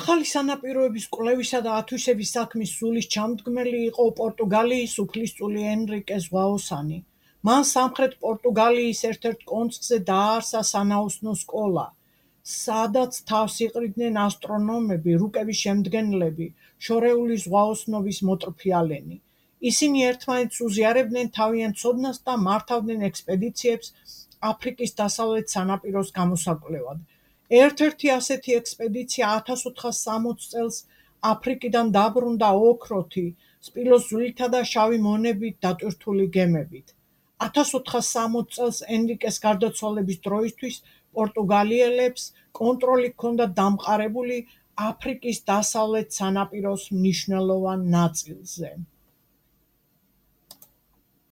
ახალი სანაპიროების კვლევისა და ათვისების საქმის სულის ჩამდგმელი იყო პორტუგალიის უფლისწული ენრიკე ზღვაოსანი. მან სამხრეთ პორტუგალიის ერთ-ერთ კონცხზე დააარსა სანაოსნო სკოლა, სადაც თავს იყრიდნენ ასტრონომები, რუკების შემდგენლები, შორეული ზღვაოსნობის მოტრფიალენი. ისინი ერთმანეთს უზიარებდნენ თავიანთ ცოდნას და მართავდნენ ექსპედიციებს აფრიკის დასავლეთ სანაპიროს გამოსაკვლევად. ერთ-ერთი ასეთი ექსპედიცია 1460 წელს აფრიკიდან დაბრუნდა ოქროთი, სპილოს ძვლითა და შავი მონებით დატვირთული გემებით. 1460 წელს ენრიკეს გარდაცვალების დროისთვის პორტუგალიელებს კონტროლი ჰქონდათ დამყარებული აფრიკის დასავლეთ სანაპიროს მნიშვნელოვან ნაწილზე.